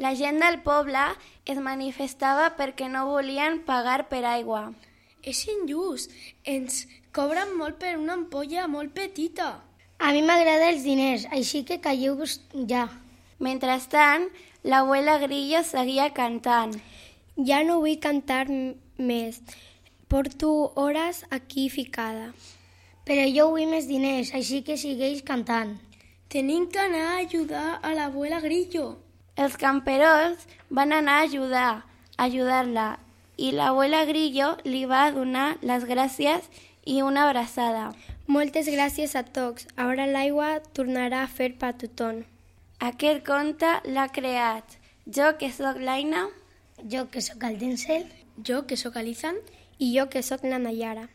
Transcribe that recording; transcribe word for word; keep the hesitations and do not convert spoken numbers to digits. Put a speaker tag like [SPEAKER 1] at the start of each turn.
[SPEAKER 1] La gent del poble es manifestava perquè no volien pagar per aigua.
[SPEAKER 2] És injust, ens cobren molt per una ampolla molt petita.
[SPEAKER 3] A mi m'agraden els diners, així que calleu-vos ja.
[SPEAKER 1] Mentrestant, l'abuela Grillo seguia cantant.
[SPEAKER 4] Ja no vull cantar més. Porto hores aquí ficada.
[SPEAKER 3] Però jo vull més diners, així que segueix cantant.
[SPEAKER 2] Tenim que anar a ajudar a l'abuela Grillo.
[SPEAKER 1] Els camperols van anar a ajudar, a ajudar-la, i l'abuela Grillo li va donar les gràcies i una abraçada.
[SPEAKER 4] Moltes gràcies a tots. Ara l'aigua tornarà a fer per tothom.
[SPEAKER 1] Aquest conte l'ha creat jo, que sóc l'Aina,
[SPEAKER 3] Jo, que sóc el Denzel,
[SPEAKER 2] Jo, que sóc l'Ethan,
[SPEAKER 4] I jo, que sóc la Nayara.